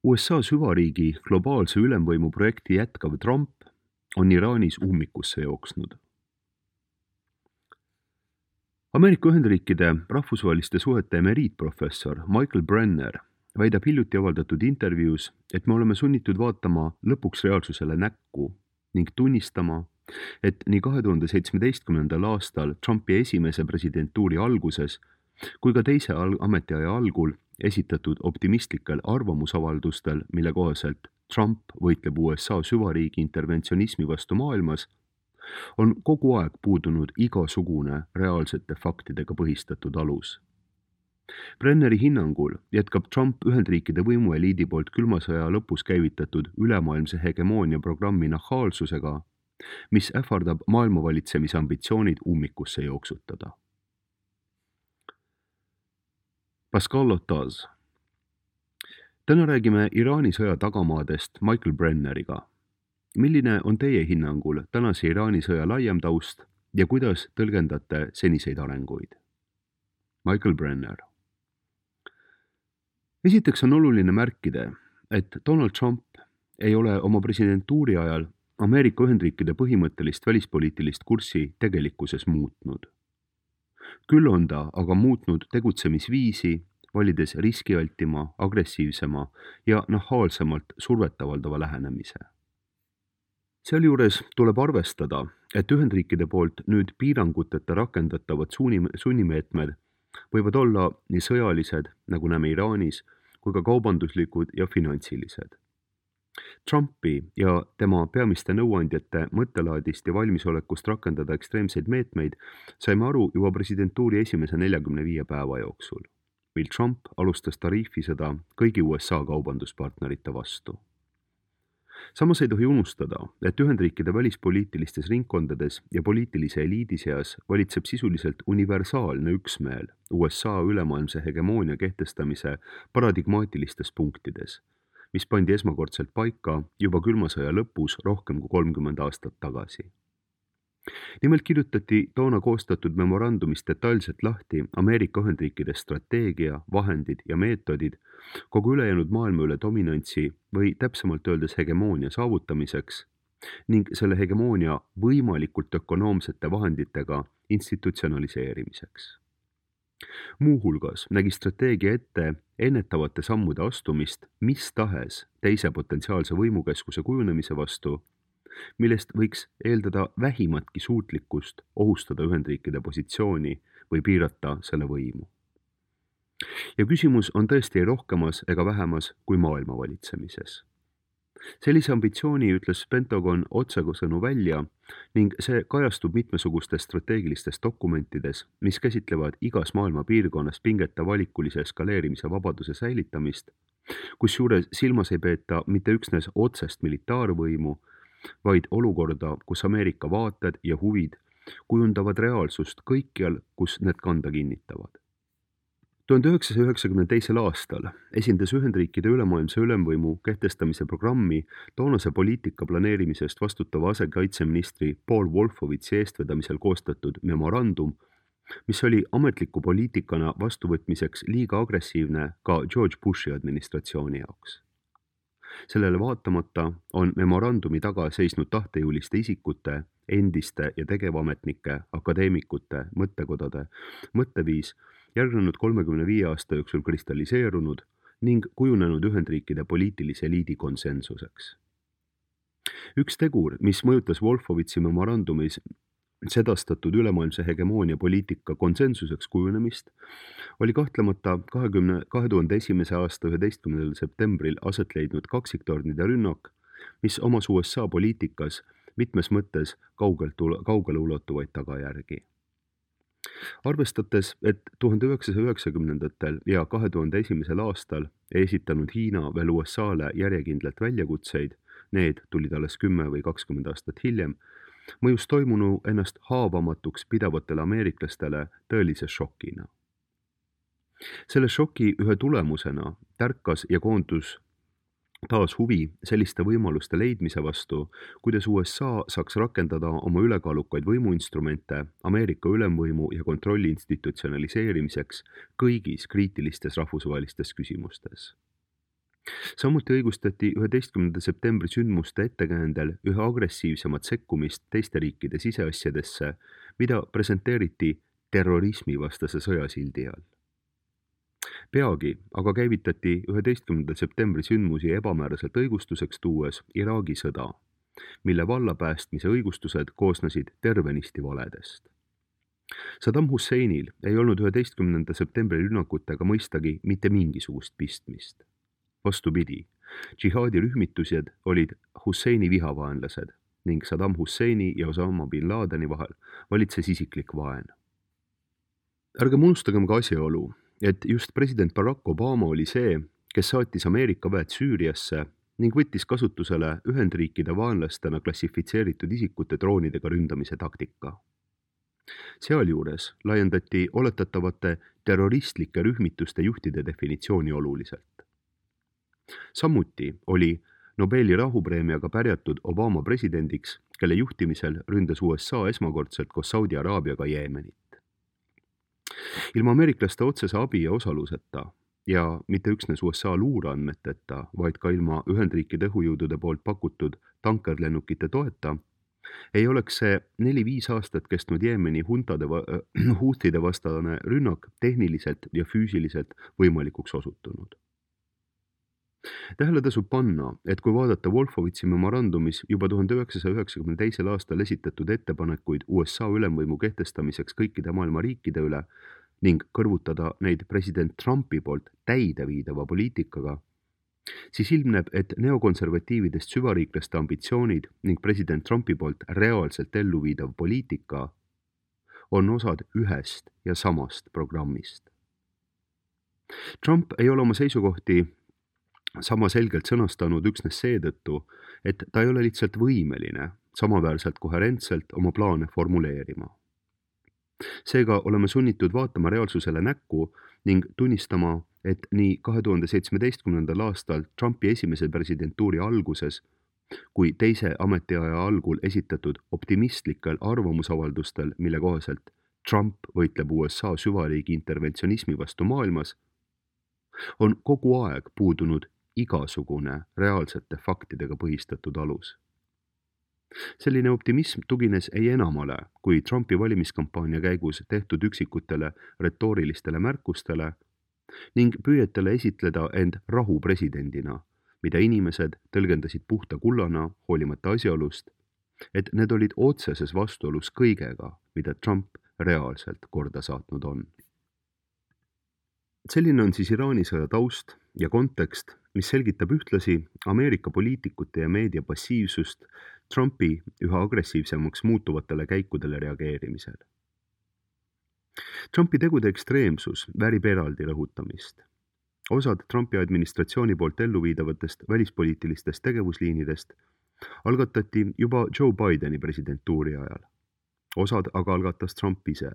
USA süvariigi globaalse ülemvõimu projekti jätkav Trump on Iraanis ummikusse jooksnud. Ameerika Ühendriikide rahvusvaheliste suhete emeriitprofessor Michael Brenner väidab hiljuti avaldatud intervjuus, et me oleme sunnitud vaatama lõpuks reaalsusele näkku ning tunnistama, et nii 2017. aastal Trumpi esimese presidentuuri alguses kui ka teise ametiaja algul esitatud optimistlikel arvamusavaldustel, mille kohaselt Trump võitleb USA süvariigi interventsionismi vastu maailmas, on kogu aeg puudunud igasugune reaalsete faktidega põhistatud alus. Brenneri hinnangul jätkab Trump Ühendriikide võimueliidi poolt külma sõja lõpus käivitatud ülemaailmse hegemoonia programmi nahaalsusega, mis ähvardab maailmavalitsemise ambitsioonid ummikusse jooksutada. Pascal Lotaz. Täna räägime Iraani sõja tagamaadest Michael Brenneriga. Milline on teie hinnangul tänase Iraani sõja laiem taust ja kuidas tõlgendate seniseid arenguid? Michael Brenner. Esiteks on oluline märkida, et Donald Trump ei ole oma presidentuuri ajal Ameerika Ühendriikide põhimõttelist välispoliitilist kurssi tegelikkuses muutnud. Küll on ta aga muutnud tegutsemisviisi, valides riskialtima, agressiivsema ja nahaalsemalt survet avaldava lähenemise. Sealjuures tuleb arvestada, et Ühendriikide poolt nüüd piiranguteta rakendatavad sunnimeetmed võivad olla nii sõjalised, nagu näeme Iraanis, kui ka kaubanduslikud ja finantsilised. Trumpi ja tema peamiste nõuandjate mõttelaadist ja valmisolekust rakendada ekstreemseid meetmeid saime aru juba presidentuuri esimese 45 päeva jooksul, mil Trump alustas tariifisõda kõigi USA kaubanduspartnerite vastu. Samas ei tohi unustada, et Ühendriikide välispoliitilistes ringkondades ja poliitilise eliidi seas valitseb sisuliselt universaalne üksmeel USA ülemaailmse hegemoonia kehtestamise paradigmaatilistes punktides, mis pandi esmakordselt paika juba külma sõja lõpus rohkem kui 30 aastat tagasi. Nimelt kirjutati toona koostatud memorandumis detailselt lahti Ameerika Ühendriikide strateegia, vahendid ja meetodid kogu ülejäänud maailma üle dominantsi või täpsemalt öeldes hegemoonia saavutamiseks ning selle hegemoonia võimalikult ökonoomsete vahenditega institutsionaliseerimiseks. Muuhulgas nägi strateegia ette ennetavate sammude astumist mis tahes teise potentsiaalse võimukeskuse kujunemise vastu, millest võiks eeldada vähimatki suutlikkust ohustada Ühendriikide positsiooni või piirata selle võimu. Ja küsimus on tõesti rohkemas ega vähemas kui maailma valitsemises. Sellise ambitsiooni ütles Pentagon otsesõnu välja ning see kajastub mitmesugustes strateegilistes dokumentides, mis käsitlevad igas maailma piirkonnas pingete valikulise eskaleerimise vabaduse säilitamist, kusjuures silmas ei peeta mitte üksnes otsest militaarvõimu, vaid olukorda, kus Ameerika vaated ja huvid kujundavad reaalsust kõikjal, kus need kanda kinnitavad. 1992. aastal esindas Ühendriikide ülemaailmse ülemvõimu kehtestamise programmi toonase poliitika planeerimisest vastutava asekaitseministri Paul Wolfowitzi eestvedamisel koostatud memorandum, mis oli ametliku poliitikana vastuvõtmiseks liiga agressiivne ka George Bushi administratsiooni jaoks. Sellele vaatamata on memorandumi taga seisnud tahtejõuliste isikute, endiste ja tegevametnike, akadeemikute, mõttekodade mõtteviis järgnenud 35 aasta jooksul kristalliseerunud ning kujunenud Ühendriikide poliitilise eliidi konsensuseks. Üks tegur, mis mõjutas Wolfowitzi memorandumis sedastatud ülemaailmse hegemoonia poliitika konsensuseks kujunemist, oli kahtlemata 2001. aasta 11. septembril aset leidnud kaksiktornide rünnak, mis omas USA poliitikas mitmes mõttes kaugele ulatuvaid tagajärgi. Arvestades, et 1990. ja 2001. aastal ei esitanud Hiina veel USA-le järjekindlalt väljakutseid, need tulid alles 10 või 20 aastat hiljem, mõjus toimunu ennast haavamatuks pidavatele ameeriklastele tõelise šokina. Selle šoki ühe tulemusena tärkas ja koondus taas huvi selliste võimaluste leidmise vastu, kuidas USA saaks rakendada oma ülekaalukaid võimuinstrumente Ameerika ülemvõimu ja kontrolli institutsionaliseerimiseks kõigis kriitilistes rahvusvahelistes küsimustes. Samuti õigustati 11. septembri sündmuste ettekäändel üha agressiivsemat sekkumist teiste riikide siseasjadesse, mida presenteeriti terrorismivastase sõja sildi all. Peagi aga käivitati 11. septembri sündmusi ebamääraselt õigustuseks tuues Iraagi sõda, mille vallapäästmise õigustused koosnesid tervenisti valedest. Saddam Husseinil ei olnud 11. septembri rünnakutega mõistagi mitte mingisugust pistmist. Vastupidi, džihaadirühmitused olid Husseini vihavaenlased ning Saddam Husseini ja Osama bin Ladeni vahel valitses isiklik vaen. Ärgem unustagem ka asjaolu, et just president Barack Obama oli see, kes saatis Ameerika väed Süüriasse ning võttis kasutusele Ühendriikide vaenlastena klassifitseeritud isikute droonidega ründamise taktika. Sealjuures laiendati oletatavate terroristlike rühmituste juhtide definitsiooni oluliselt. Samuti oli Nobeli rahupreemiaga pärjatud Obama presidendiks, kelle juhtimisel ründas USA esmakordselt koos Saudi Araabiaga Jeemenit. Ilma ameeriklaste otsese abi ja osaluseta ja mitte üksnes USA luureandmeteta, vaid ka ilma Ühendriikide õhujõudude poolt pakutud tankerlennukite toeta, ei oleks see 4-5 aastat kestnud Jeemeni huutide vastane rünnak tehniliselt ja füüsiliselt võimalikuks osutunud. Tähele tasub panna, et kui vaadata Wolfowitzi memorandumis juba 1992. aastal esitatud ettepanekuid USA ülemvõimu kehtestamiseks kõikide maailma riikide üle ning kõrvutada neid president Trumpi poolt täideviidava poliitikaga, siis ilmneb, et neokonservatiividest süvariiklaste ambitsioonid ning president Trumpi poolt reaalselt elluviidav poliitika on osad ühest ja samast programmist. Trump ei ole oma seisukohti sama selgelt sõnastanud üksnes seetõttu, et ta ei ole lihtsalt võimeline samaväärselt koherentselt oma plaane formuleerima. Seega oleme sunnitud vaatama reaalsusele näkku ning tunnistama, et nii 2017. aastal Trumpi esimese presidentuuri alguses kui teise ametiaja algul esitatud optimistlikel arvamusavaldustel, mille kohaselt Trump võitleb USA süvariigi interventsionismi vastu maailmas, on kogu aeg puudunud igasugune reaalsete faktidega põhistatud alus. Selline optimism tugines ei enamale kui Trumpi valimiskampaania käigus tehtud üksikutele retoorilistele märkustele ning püüetele esitleda end rahupresidendina, mida inimesed tõlgendasid puhta kullana hoolimata asjaolust, et need olid otseses vastuolus kõigega, mida Trump reaalselt korda saatnud on. Selline on siis Iraani sõja taust ja kontekst, mis selgitab ühtlasi Ameerika poliitikute ja meedia passiivsust Trumpi üha agressiivsemaks muutuvatele käikudele reageerimisel. Trumpi tegude ekstreemsus väärib eraldi rõhutamist. Osad Trumpi administratsiooni poolt elluviidavatest välispoliitilistest tegevusliinidest algatati juba Joe Bideni presidentuuri ajal. Osad aga algatas Trump ise.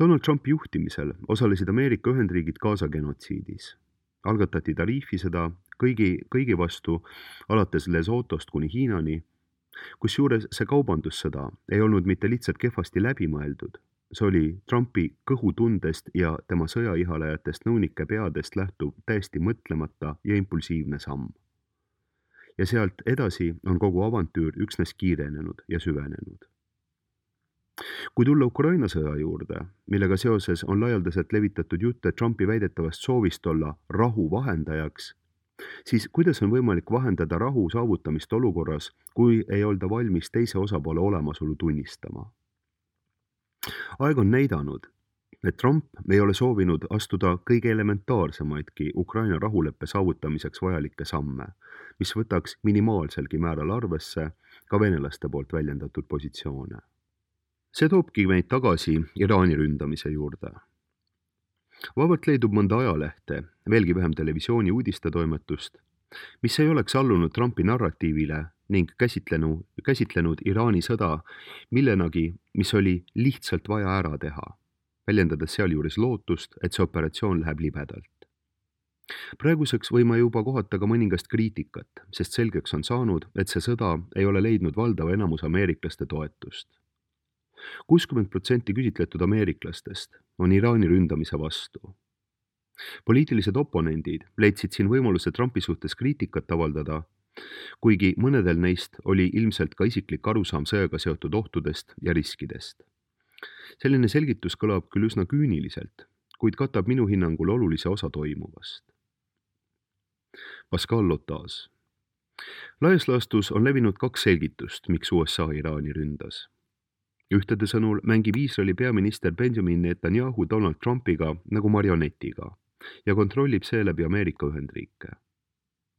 Donald Trumpi juhtimisel osalesid Ameerika Ühendriigid Gaza genotsiidis. Algatati tariifisõda kõigi vastu alates Lesotost kuni Hiinani, kusjuures see kaubandussõda ei olnud mitte lihtsalt kehvasti läbimõeldud. See oli Trumpi kõhutundest ja tema sõjaihalejatest nõunike peadest lähtuv täiesti mõtlemata ja impulsiivne samm. Ja sealt edasi on kogu avantüür üksnes kiirenenud ja süvenenud. Kui tulla Ukraina sõja juurde, millega seoses on laialdaselt levitatud jutte Trumpi väidetavast soovist olla rahu vahendajaks, siis kuidas on võimalik vahendada rahu saavutamist olukorras, kui ei olda valmis teise osapoole olemasolu tunnistama? Aeg on näidanud, et Trump ei ole soovinud astuda kõige elementaarsemaidki Ukraina rahuleppe saavutamiseks vajalikke samme, mis võtaks minimaalselgi määral arvesse ka venelaste poolt väljendatud positsioone. See toobki meid tagasi Iraani ründamise juurde. Vabalt leidub mõnda ajalehte, veelgi vähem televisiooni uudistetoimetust, mis ei oleks allunud Trumpi narratiivile ning käsitlenud Iraani sõda millenagi, mis oli lihtsalt vaja ära teha, väljendades sealjuures lootust, et see operatsioon läheb libedalt. Praeguseks võime juba kohata ka mõningast kriitikat, sest selgeks on saanud, et see sõda ei ole leidnud valdava enamus ameeriklaste toetust. 60% küsitletud ameeriklastest on Iraani ründamise vastu. Poliitilised oponendid leidsid siin võimaluse Trumpi suhtes kriitikat avaldada, kuigi mõnedel neist oli ilmselt ka isiklik arusaam sõjaga seotud ohtudest ja riskidest. Selline selgitus kõlab küll üsna küüniliselt, kuid katab minu hinnangul olulise osa toimuvast. Pascal Lotas. Laias laastus on levinud 2 selgitust, miks USA Iraani ründas. Ühtede sõnul mängib Iisraeli peaminister Benjamin Netanyahu Donald Trumpiga nagu marionetiga ja kontrollib seeläbi Ameerika Ühendriike.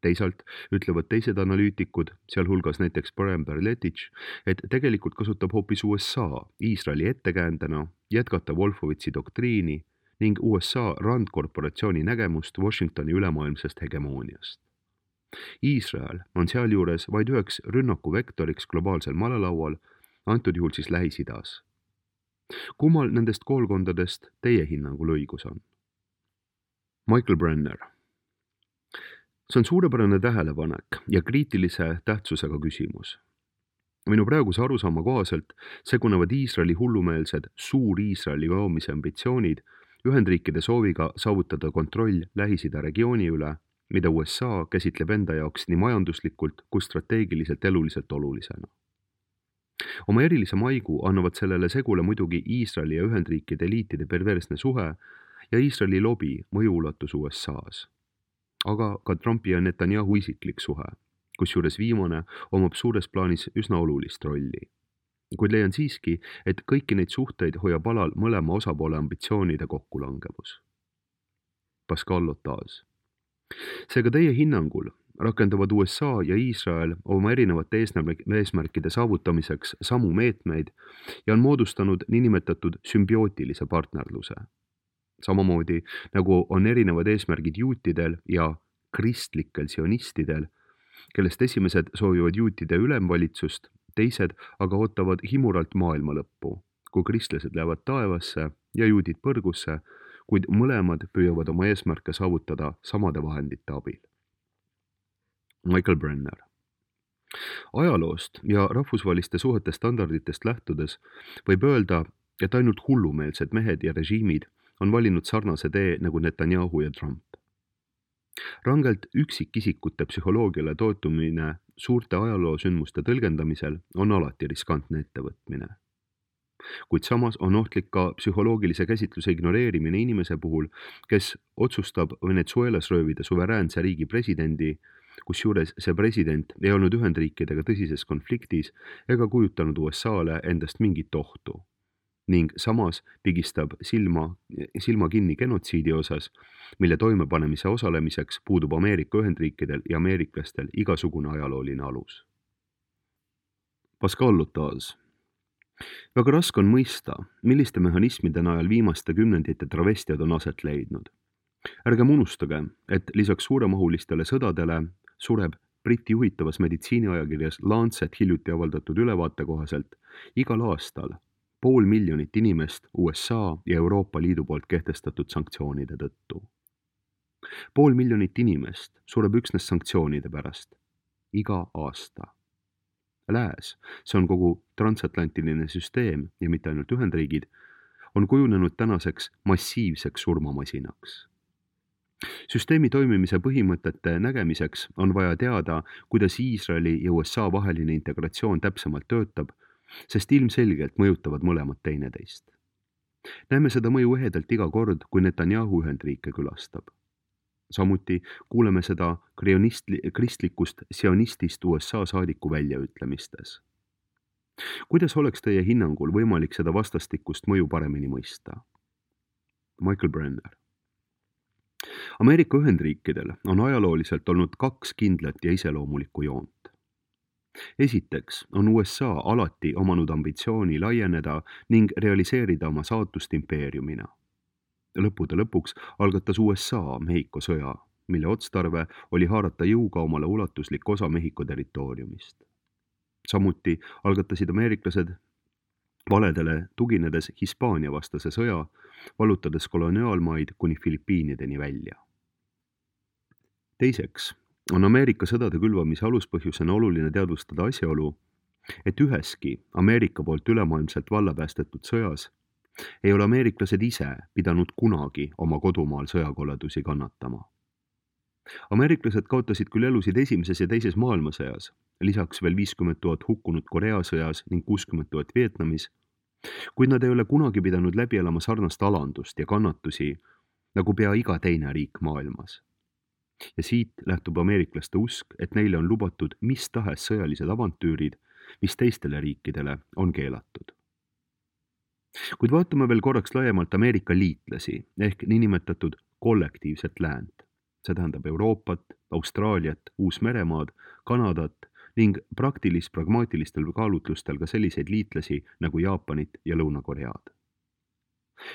Teisalt ütlevad teised analüütikud, sealhulgas näiteks Brian Berletich, et tegelikult kasutab hoopis USA Iisraeli ettekäändena jätkata Wolfowitzi doktriini ning USA randkorporatsiooni nägemust Washingtoni ülemaailmsest hegemooniast. Iisrael on sealjuures vaid üheks rünnakuvektoriks globaalsel malelaual, antud juhul siis Lähis-Idas. Kummal nendest koolkondadest teie hinnangul õigus on? Michael Brenner. See on suurepärane tähelepanek ja kriitilise tähtsusega küsimus. Minu praeguse arusaama kohaselt segunevad Iisraeli hullumeelsed Suur-Iisraeli loomise ambitsioonid Ühendriikide sooviga saavutada kontroll Lähis-Ida regiooni üle, mida USA käsitleb enda jaoks nii majanduslikult kui strateegiliselt eluliselt olulisena. Oma erilise maigu annavad sellele segule muidugi Iisraeli ja Ühendriikide eliitide perversne suhe ja Iisraeli lobi mõjuulatus USA-s. Aga ka Trumpi ja Netanyahu isiklik suhe, kusjuures viimane omab suures plaanis üsna olulist rolli. Kuid leian siiski, et kõiki neid suhteid hoiab alal mõlema osapoole ambitsioonide kokkulangevus. Pascal Lotas. Seega teie hinnangul rakendavad USA ja Iisrael oma erinevate eesmärkide saavutamiseks samu meetmeid ja on moodustanud niinimetatud sümbiootilise partnerluse. Samamoodi nagu on erinevad eesmärgid juutidel ja kristlikel sionistidel, kellest esimesed soovivad juutide ülemvalitsust, teised aga ootavad himuralt maailma lõppu, kui kristlased lähevad taevasse ja juudid põrgusse, kuid mõlemad püüavad oma eesmärke saavutada samade vahendite abil. Michael Brenner. Ajaloost ja rahvusvaheliste suhete standarditest lähtudes võib öelda, et ainult hullumeelsed mehed ja režiimid on valinud sarnase tee nagu Netanyahu ja Trump. Rangelt üksikisikute psühholoogiale toetumine suurte ajaloosündmuste tõlgendamisel on alati riskantne ettevõtmine. Kuid samas on ohtlik ka psühholoogilise käsitluse ignoreerimine inimese puhul, kes otsustab Venezuelas röövida suveräänse riigi presidendi, kusjuures see president ei olnud Ühendriikidega tõsises konfliktis ega kujutanud USA-le endast mingit ohtu. Ning samas pigistab silma kinni genotsiidi osas, mille toimepanemise osalemiseks puudub Ameerika Ühendriikidel ja ameeriklastel igasugune ajalooline alus. Pascal Lotas. Väga raske on mõista, milliste mehhanismide najal viimaste kümnendite travestiad on aset leidnud. Ärgem unustage, et lisaks suuremahulistele sõdadele sureb Briti juhitavas meditsiiniajakirjas Lancet hiljuti avaldatud ülevaate kohaselt igal aastal 500 000 inimest USA ja Euroopa Liidu poolt kehtestatud sanktsioonide tõttu. 500 000 inimest sureb üksnes sanktsioonide pärast. Iga aasta. Lääs, see on kogu transatlantiline süsteem ja mitte ainult Ühendriigid, on kujunenud tänaseks massiivseks surmamasinaks. Süsteemi toimimise põhimõtete nägemiseks on vaja teada, kuidas Iisraeli ja USA vaheline integratsioon täpsemalt töötab, sest ilmselgelt mõjutavad mõlemad teineteist. Näeme seda mõju ehedalt iga kord, kui Netanyahu Ühendriike külastab. Samuti kuuleme seda kristlikust sionistist USA saadiku väljaütlemistes. Kuidas oleks teie hinnangul võimalik seda vastastikust mõju paremini mõista? Michael Brenner. Ameerika Ühendriikidel on ajalooliselt olnud 2 kindlat ja iseloomulikku joont. Esiteks on USA alati omanud ambitsiooni laieneda ning realiseerida oma saatust impeeriumina. Lõppude lõpuks algatas USA Mehhiko sõja, mille otstarve oli haarata jõuga omale ulatuslik osa Mehhiko territooriumist. Samuti algatasid ameeriklased valedele tuginedes Hispaania vastase sõja, vallutades koloniaalmaid kuni Filipiinideni välja. Teiseks on Ameerika sõdade külvamise aluspõhjusena oluline teadvustada asjaolu, et üheski Ameerika poolt ülemaailmselt vallapäästetud sõjas ei ole ameeriklased ise pidanud kunagi oma kodumaal sõjakoledusi kannatama. Ameeriklased kaotasid küll elusid esimeses ja teises maailmasõjas, lisaks veel 50 000 hukkunut Korea sõjas ning 60 000 Vietnamis, kuid nad ei ole kunagi pidanud läbi elama sarnast alandust ja kannatusi nagu pea iga teine riik maailmas. Ja siit lähtub ameeriklaste usk, et neile on lubatud mis tahes sõjalised avantüürid, mis teistele riikidele on keelatud. Kuid vaatame veel korraks laiemalt Ameerika liitlasi ehk niinimetatud kollektiivset läänt. See tähendab Euroopat, Austraaliat, Uus-Meremaad, Kanadat ning pragmaatilistel kaalutlustel ka selliseid liitlasi nagu Jaapanit ja Lõuna-Koread.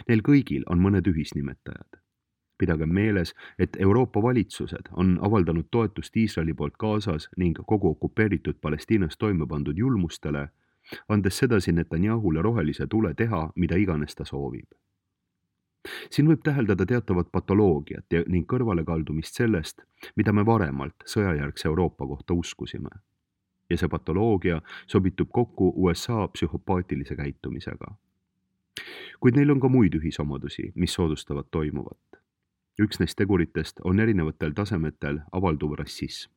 Neil kõigil on mõned ühisnimetajad. Pidagem meeles, et Euroopa valitsused on avaldanud toetust Iisraeli poolt Gazas ning kogu okupeeritud Palestiinas toime pandud julmustele, andes sedasi Netanyahule rohelise tule teha, mida iganes ta soovib. Siin võib täheldada teatavat patoloogiat ning kõrvalekaldumist sellest, mida me varemalt sõjajärgse Euroopa kohta uskusime. Ja see patoloogia sobitub kokku USA psühhopaatilise käitumisega. Kuid neil on ka muid ühisomadusi, mis soodustavad toimuvat. Üks neist teguritest on erinevatel tasemetel avalduv rassism.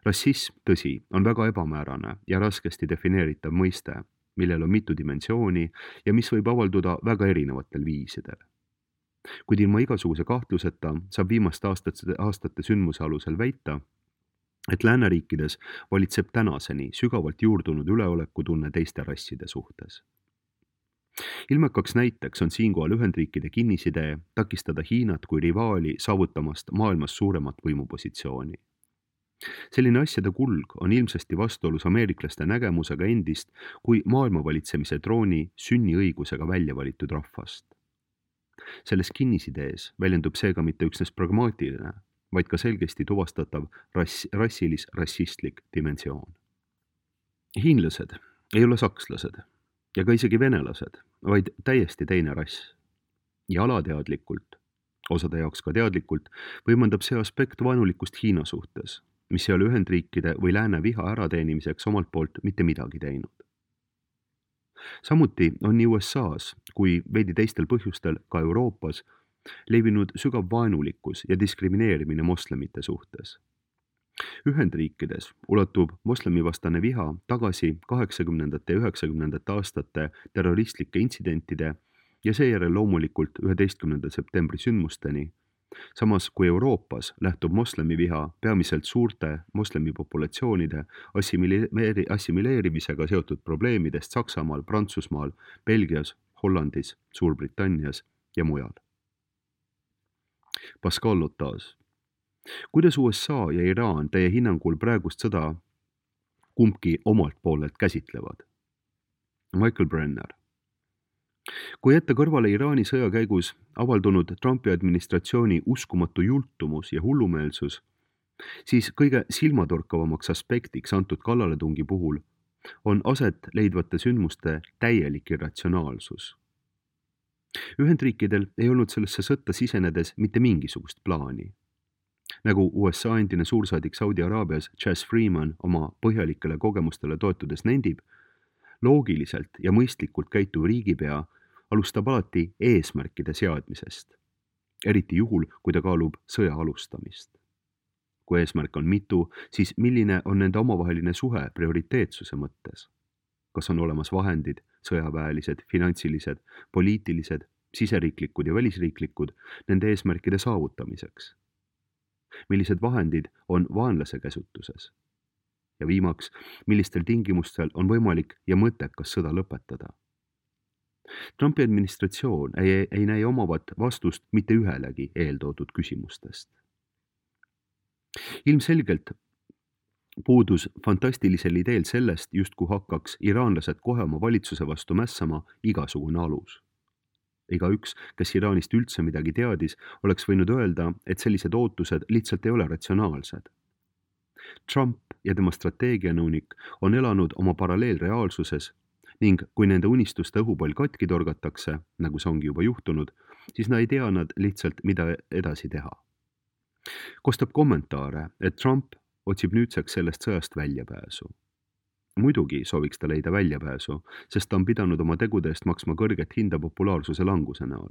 Rassism, tõsi, on väga ebamäärane ja raskesti defineeritav mõiste, millel on mitu dimensiooni ja mis võib avalduda väga erinevatel viisidel. Kuid ilma igasuguse kahtluseta saab viimaste aastate sündmuse alusel väita, et lääneriikides valitseb tänaseni sügavalt juurdunud üleolekutunne teiste rasside suhtes. Ilmekaks näiteks on siinkohal Ühendriikide kinnisidee takistada Hiinat kui rivaali saavutamast maailmas suuremat võimupositsiooni. Selline asjade kulg on ilmsesti vastuolus ameeriklaste nägemusega endist kui maailmavalitsemise trooni sünniõigusega välja valitud rahvast. Selles kinnisidees väljendub seega mitte üksnes pragmaatiline, vaid ka selgesti tuvastatav rassistlik dimensioon. Hiinlased ei ole sakslased ja ka isegi venelased, vaid täiesti teine rass. Ja alateadlikult, osade jaoks ka teadlikult, võimendab see aspekt vaenulikust Hiina suhtes, mis ei ole Ühendriikide või lääne viha ärateenimiseks omalt poolt mitte midagi teinud. Samuti on nii USAs kui veidi teistel põhjustel ka Euroopas levinud sügav vaenulikkus ja diskrimineerimine moslemite suhtes. Ühendriikides ulatub moslemivastane viha tagasi 80. ja 90. aastate terroristlike intsidentide ja seejärel loomulikult 11. septembri sündmusteni, samas kui Euroopas lähtub moslemiviha peamiselt suurte moslemipopulatsioonide assimileerimisega seotud probleemidest Saksamaal, Prantsusmaal, Belgias, Hollandis, Suurbritannias ja mujal. Pascal Lotas. Kuidas USA ja Iraan teie hinnangul praegust sõda kumbki omalt poolelt käsitlevad? Michael Brenner. Kui jätta kõrvale Iraani sõja käigus avaldunud Trumpi administratsiooni uskumatu jultumus ja hullumeelsus, siis kõige silmatorkavamaks aspektiks antud kallaletungi puhul on aset leidvate sündmuste täielik irratsionaalsus. Ühendriikidel ei olnud sellesse sõtta sisenedes mitte mingisugust plaani. Nagu USA endine suursaadik Saudi Araabias Chas Freeman oma põhjalikele kogemustele toetudes nendib, loogiliselt ja mõistlikult käituv riigipea alustab alati eesmärkide seadmisest, eriti juhul, kui ta kaalub sõja alustamist. Kui eesmärk on mitu, siis milline on nende omavaheline suhe prioriteetsuse mõttes? Kas on olemas vahendid, sõjaväelised, finantsilised, poliitilised, siseriiklikud ja välisriiklikud nende eesmärkide saavutamiseks? Millised vahendid on vaenlase käsutuses? Ja viimaks, millistel tingimustel on võimalik ja mõttekas sõda lõpetada? Trumpi administratsioon ei näe omavat vastust mitte ühelegi eeltoodud küsimustest. Ilmselgelt puudus fantastilisel ideel sellest, justkui hakkaks iraanlased kohe oma valitsuse vastu mässama igasugune alus. Igaüks, kes Iraanist üldse midagi teadis, oleks võinud öelda, et sellised ootused lihtsalt ei ole ratsionaalsed. Trump ja tema strateegianõunik on elanud oma paralleelreaalsuses ning kui nende unistuste õhupall katki torgatakse, nagu see ongi juba juhtunud, siis ei tea nad lihtsalt, mida edasi teha. Kostab kommentaare, et Trump otsib nüüdseks sellest sõjast väljapääsu. Muidugi sooviks ta leida väljapääsu, sest ta on pidanud oma tegude eest maksma kõrget hinda populaarsuse languse näol.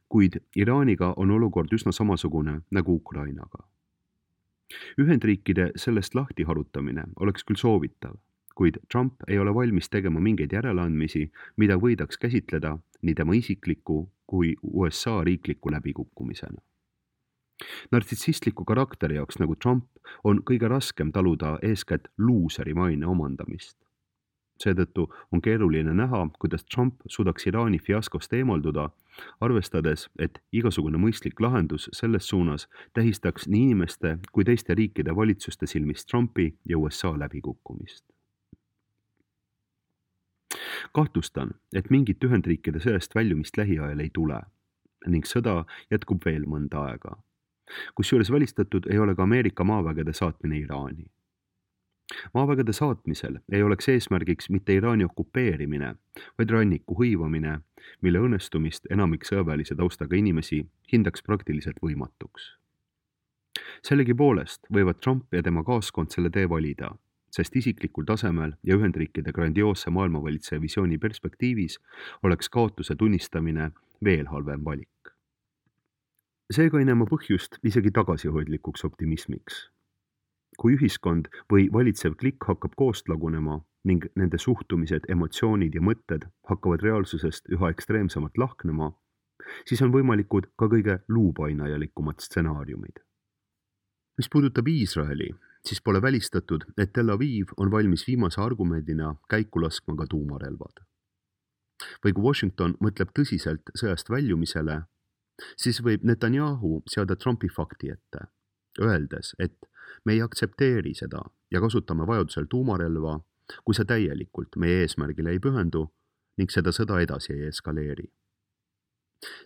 Kuid Iraaniga on olukord üsna samasugune nagu Ukrainaga. Ühendriikide sellest lahti harutamine oleks küll soovitav, kuid Trump ei ole valmis tegema mingeid järeleandmisi, mida võidaks käsitleda nii tema isikliku kui USA riikliku läbikukkumisena. Nartsissistliku karakteri jaoks nagu Trump on kõige raskem taluda eeskätt luuseri maine omandamist. Seetõttu on keeruline näha, kuidas Trump suudaks Iraani fiaskost eemalduda, arvestades, et igasugune mõistlik lahendus selles suunas tähistaks nii inimeste kui teiste riikide valitsuste silmis Trumpi ja USA läbikukkumist. Kahtlustan, et mingit Ühendriikide sõjast väljumist lähiajal ei tule ning sõda jätkub veel mõnda aega. Kusjuures välistatud ei ole ka Ameerika maavägede saatmine Iraani. Maavägede saatmisel ei oleks eesmärgiks mitte Iraani okupeerimine, vaid ranniku hõivamine, mille õnnestumist enamik sõjaväelise taustaga inimesi hindaks praktiliselt võimatuks. Sellegipoolest võivad Trump ja tema kaaskond selle tee valida, sest isiklikul tasemel ja Ühendriikide grandioosse maailmavalitseja visiooni perspektiivis oleks kaotuse tunnistamine veel halvem valik. Seega ei näe ma põhjust isegi tagasihoidlikuks optimismiks. Kui ühiskond või valitsev klikk hakkab koost lagunema ning nende suhtumised, emotsioonid ja mõtted hakkavad reaalsusest üha ekstreemsemalt lahknema, siis on võimalikud ka kõige luupainajalikumad stsenaariumid. Mis puudutab Iisraeli, siis pole välistatud, et Tel Aviv on valmis viimase argumendina käiku laskma ka tuumarelvad. Või kui Washington mõtleb tõsiselt sõjast väljumisele, siis võib Netanyahu seada Trumpi fakti ette, öeldes, et me ei aktsepteeri seda ja kasutame vajadusel tuumarelva, kui see täielikult meie eesmärgile ei pühendu ning seda sõda edasi ei eskaleeri.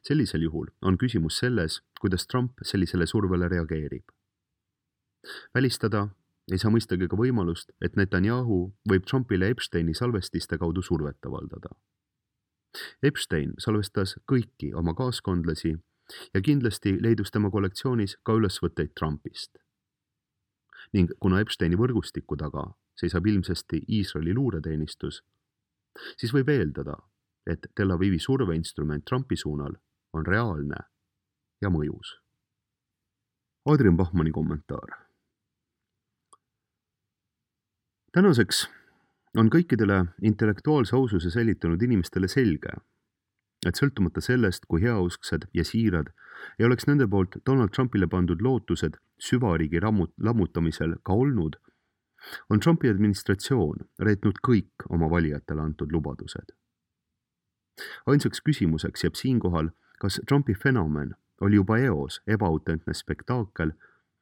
Sellisel juhul on küsimus selles, kuidas Trump sellisele survele reageerib. Välistada ei saa mõistagi ka võimalust, et Netanyahu võib Trumpile Epsteini salvestiste kaudu survet avaldada. Epstein salvestas kõiki oma kaaskondlasi ja kindlasti leidus tema kollektsioonis ka ülesvõtteid Trumpist. Ning kuna Epsteini võrgustiku taga seisab ilmsesti Iisraeli luureteenistus, siis võib eeldada, et Tel Avivi surveinstrument Trumpi suunal on reaalne ja mõjus. Adrian Bachmanni kommentaar. Tänaseks on kõikidele intellektuaalse aususe säilitanud inimestele selge, et sõltumata sellest, kui heausksed ja siirad ei oleks nende poolt Donald Trumpile pandud lootused süvariigi lammutamisel ka olnud, on Trumpi administratsioon reetnud kõik oma valijatele antud lubadused. Ainsaks küsimuseks jääb siinkohal, kas Trumpi fenomen oli juba eos ebaautentne spektaakel,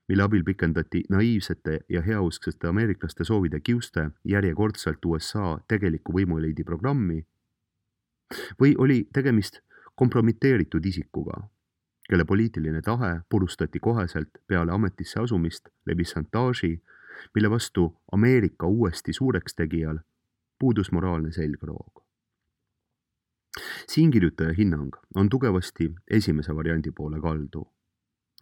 mille abil pikendati naiivsete ja heausksete ameeriklaste soovide kiuste järjekordselt USA tegeliku võimueliidi programmi, või oli tegemist kompromiteeritud isikuga, kelle poliitiline tahe purustati koheselt peale ametisse asumist läbi šantaaži, mille vastu Ameerika uuesti suureks tegijal puudus moraalne selgroog. Siinkirjutaja hinnang on tugevasti esimese variandi poole kaldu,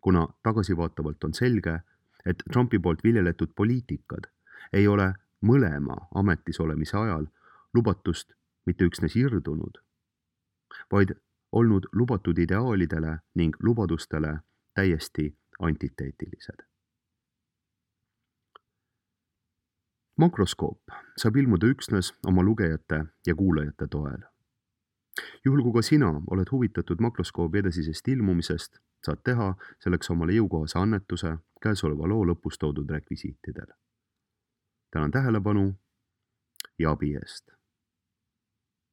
kuna tagasivaatavalt on selge, et Trumpi poolt viljeletud poliitikad ei ole mõlema ametis olemise ajal lubatust mitte üksnes irdunud, vaid olnud lubatud ideaalidele ning lubadustele täiesti antiteetilised. Makroskoop saab ilmuda üksnes oma lugejate ja kuulajate toel. Juhul kui ka sina oled huvitatud makroskoobi edasisest ilmumisest, saad teha selleks omale jõukohase annetuse käesoleva loo lõpus toodud rekvisiitidel. Tänan tähelepanu ja abi eest.